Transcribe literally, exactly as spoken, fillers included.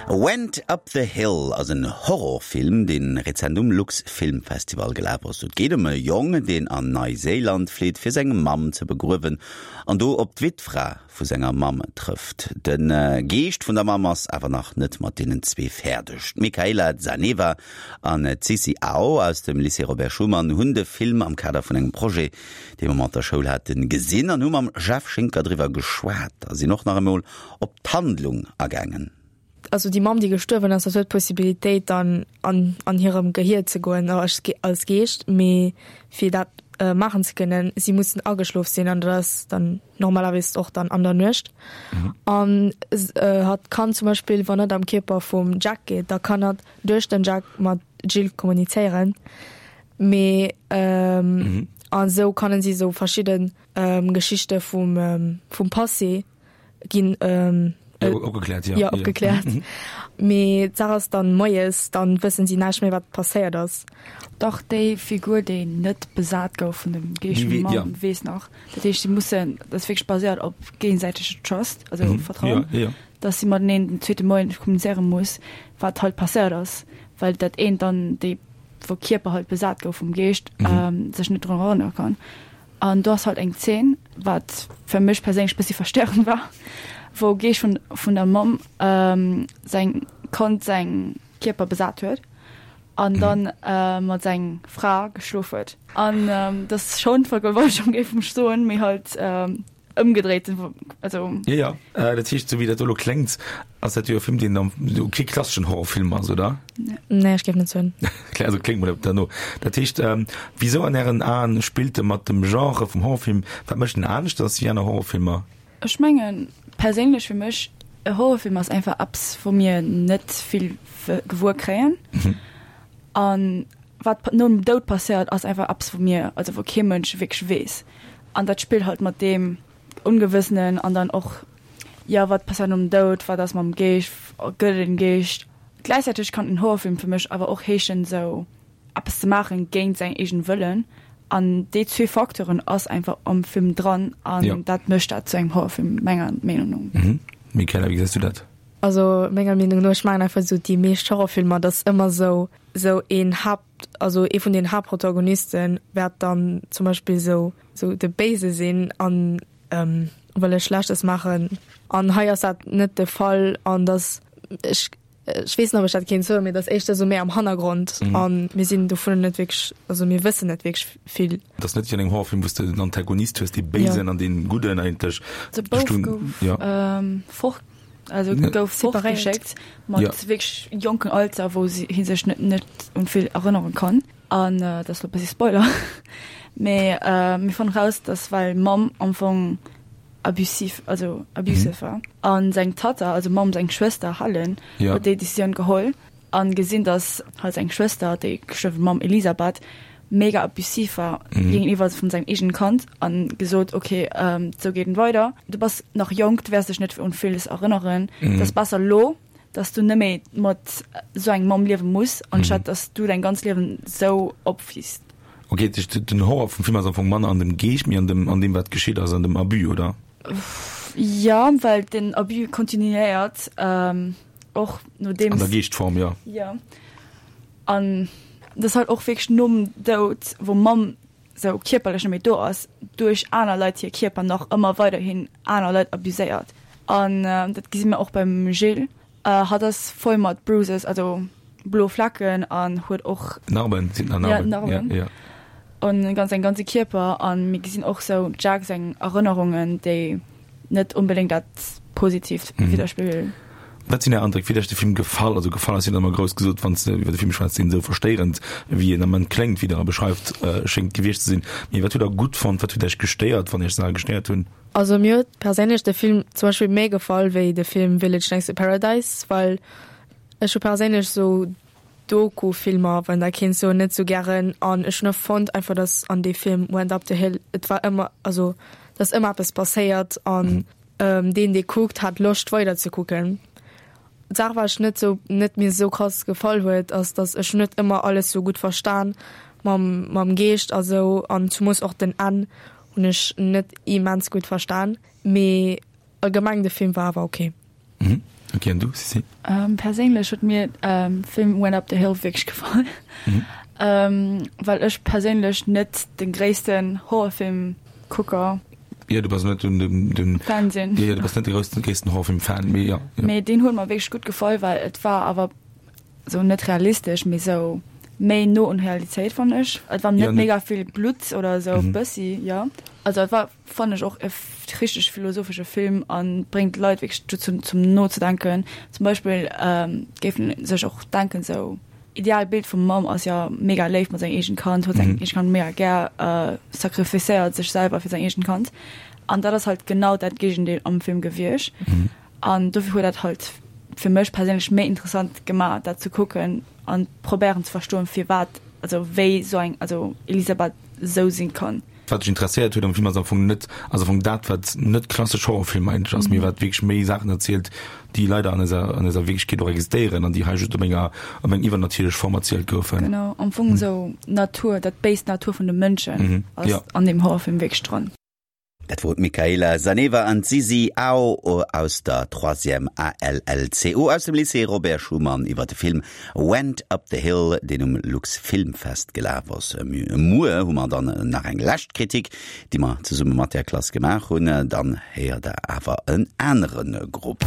Went Up the Hill ass en Horrorfilm, dee rezent um Lux Film Festival gelaf ass. Et geet ëm e Jong, deen an Neiséiland flitt, fir seng Mamm ze begruewen an do op d'Wittfra vu senger Mamm trëfft. De Geescht vun der Mamm ass awer nach net mat deenen zwee fäerdeg. D'Michaela Zaneva an d'Sissi Ao aus dem Lycée Robert Schuman hunn de Film am Kader vun engem Projet, dee mer mat der Schoul haten, gesinn an hu mam Jeff Schinker driwwer geschwat a sinn och nach emol op d'Handlung agaangen. Also déi Mamm, déi gestuerwen ass, dat huet d'Possibilitéit dann an an hirem Gehier ze goen als als Geescht, mee fir dat maachen ze kënnen, si mussen ageschlof sinn an dat ass dann normalerweis och dann an der Nuecht. An hatt kann zum Beispill, wann hatt am Kierper vum Jack geet, da kann hatt duerch den Jack mat Jill kommunizéieren, mee an esou kannen si esou verschidden Geschichte vum vum Passé ginn opgekläert, ja. Ja, opgekläert. Mee d'Saach ass dann moies, dann wëssen si näischt méi wat passéiert ass. Dach, déi Figur déi net besat gouf vun dem Geescht vum Mann weess nach. Dat heescht si mussen, dat ass wierklech baséiert op géigesäitege Trust, also Vertrauen, datt si mateneen den zweete Moien kommunizéiere muss, wat halt passéiert ass, well dat eent dann, déi wou Kierper halt besat gouf vum Geescht, sech net drun erënnere kann. An do ass halt eng Zeen, wat fir mech perséinlech bëssi verstörend war, wou Geescht vun vun der Mamm säin Kand säin Kierper besat huet an dann mat seng Fra geschlof huet. An dat ass schonn Vergewaltegung, géif ech soen, mee halt ëmgedréit, also. Jo, jo. Dat heescht, esou wéi dat do elo kléngt, ass dat jo e Film, deen am jo kee klasseschen Horrorfilm ass, oder? Nee, ech géif net soen. Also kléngt mol derno. Dat heescht, wisou an Ären Aen spillt e mat dem Genre vum Horrorfilm? Wat mécht en aneschters wéi aner Horrorfilmer? Ech mengen perséinlech fir mech, e Horrorfilm ass einfach eppes, wou mir net vill gewuer kréien. An wat nom Doud passéiert, ass einfach eppes, wou mir, also wou kee Mënsch wierklech weess. An dat spillt halt mat deem Ongewëssenen an dann och, jo, wat passéiert nom Doud, wat ass mam Geescht, gëtt et en Geescht? Gläichzäiteg kann en Horrorfilm fir mech awer och heeschen, esou eppes ze maachen géint säin eegene Wëllen. An déi zwee Facteuren ass einfach am Film dran an Ja. dat mécht dat zu engem Horrorfilm menger Meenung no. Mhm. Michaela, wéi gesäis du dat? Also menger Meenung no, ech mengen einfach esou déi meescht Horrorfilmer, dat ass ëmmer esou esou een Haapt, also ee vun den Haaptprotagonisten wäert dann zum Beispill esou esou de Béise sinn an ähm, wëlle Schlechtes maachen. An hei ass dat net de Fall an dass ech ech weess net, ob ech dat kéint soen, mee dat ass éischter esou méi am Hannergrond an mir sinn dovunner net wierklech, also mir wëssen net wierklech vill. Et ass net wéi an engem Horrorfilm, wou s de den Antagonist hues, dee Béisen an dee Gudden eigentlech. De Bouf gouf fort, also gouf fortgeschéckt mat wierklech jonken Alter, wou hie sech net net un vill erënnere kann. An dat ass elo e bëssi Spoiler, mee mir fannen raus, dass well d'Mamm am Fong abusiv, also abusive war. An seng Tatta, also Mamm seng Schwëster Helen, huet déi Decisioun geholl an gesinn, dass halt seng Schwëster, déi gestuerwe Mamm Elisabeth, mega abusiv war géigeniwwer vun sengem eegenen Kand an gesot, okay, sou geet et weider, du bass nach jonk, du wäers dech net un villes erënneren, et ass besser lo, dass du net méi mat sou engem Mamm liewe muss, anstatt dass du däin ganz Liewen sou opwiisst. Ok, den Horror vum Film ass am Fong manner an dem Geescht, mee an dem, an deem wat geschitt ass, an dem Abus, oder? Jo, well den Abus kontinuéiert och nodeems. An der Geeschtform, jo. Jo, an dat ass halt och wierklech nom Doud, wou Mamm sou kierperlech net méi do ass, duerch aner Leit hir Kierper nach ëmmer weiderhin aner Leit abuséiert. An dat gesi mir och beim Gilles. Hatt ass voll mat Bruises, also blo Flecken an huet och Narben, sinn Narben, ja, Narben. Ja, ja. An ganz säin ganze Kierper an mir gesinn och sou Jack seng Erënnerungen, déi net onbedéngt dat Positiivt mhm. widderspigelen. Wat sinn Är Andréck? Wéi huet Iech de Film gefall? Also gefall ass jo ëmmer grouss gesot, wann s de iwwer de Film schwätz, deen esou verstéierend wéi en Ament kléngt, wéi Der e beschreift, schéngt gewiescht ze sinn. Mee wat hutt Der gutt fonnt? Wat huet Iech gestéiert, wann Iech Saache gestéiert hunn? Also mir huet perséinlech de Film zum Beispill méi gefall wéi de Film Village Next to Paradise, well ech hu perséinlech sou Doku-Filmer, wann dat kéint soen, net sou gären an ech hunn och fonnt einfach, dass an dee Film Went Up the Hill et war ëmmer, also dass ëmmer eppes passéiert an deen dee kuckt hat Loscht weider ze kucken. D'Saach wat ech net sou net mir sou krass gefall huet ass, dass ech hunn net ëmmer alles sou gutt verstan mam mam Geescht a sou an zumoos och den Enn hunn ech net immens gutt verstan, mee allgemeng de Film war awer ok. Mhm. Ok, an du, Sissi? Ähm, perséinlech huet mir ähm, Film Went Up the Hill wierklech gefall. Mhm. Ähm, well ech perséinlech net den gréissten Horrorfilm-Kucker Ja, du bass net den, den, den Fan sinn. Ja, ja, du bass net de groussen, gréissten Horrorfilm-Fan, mee ja, ja. Mee deen huet mer wierklech gutt gefall, well et war awer sou net realistesch, mee sou méi no un Realitéit fannen ech. Et war net ja, mega vill Blutt oder sou, mhm. bëssi, ja. Also et war fannen ech och e richteg philosophesche Film an bréngt d'Leit wierklech dozou zum nozedenken. Zum Beispill ähm, géifen sech och denken sou ideal Bild vum Mamm ass ja mega léif mat sengem eegent Kand, huet seng mhm. eegent Kand mega gär, äh, sacrificéiert sech selwer fir säin eegent Kand. An dat ass halt genau dat Géigendeel am Film gewiescht. Mhm. An dofir huet dat halt fir mech perséinlech méi interessant gemaach dat ze kucken an probéieren ze verstoen firwat, also wéi sou eng, also Elisabeth sou sinn kann. Wat dech interesséiert huet am Film ass am Fong net, ass am Fong dat wat net klassesch Horrorfilm eigentlech ass, mee wat wierklech méi Saachen erzielt, déi leider an eiser, an eiser Wierklechkeet och existéieren an déi hei just op enger, op eng iwwernatierlech Form erzielt goufen. Genau, am Fong esou Natur, dat béist Natur vun de Mënschen ass an deem Horrorfilm wierklech dran. Dat wor d'Michaela Zaneva an d'Sisi Ao aus der Troisième ALLCO aus dem Lycée Robert Schuman iwwer de Film Went Up the Hill, deen um Luxfilmfest gelaf ass. Muer hu mer dann nach eng lescht Kritik, déi mer zesumme mat där Klass gemaach hunn. Dann héiert der awer en anere Grupp.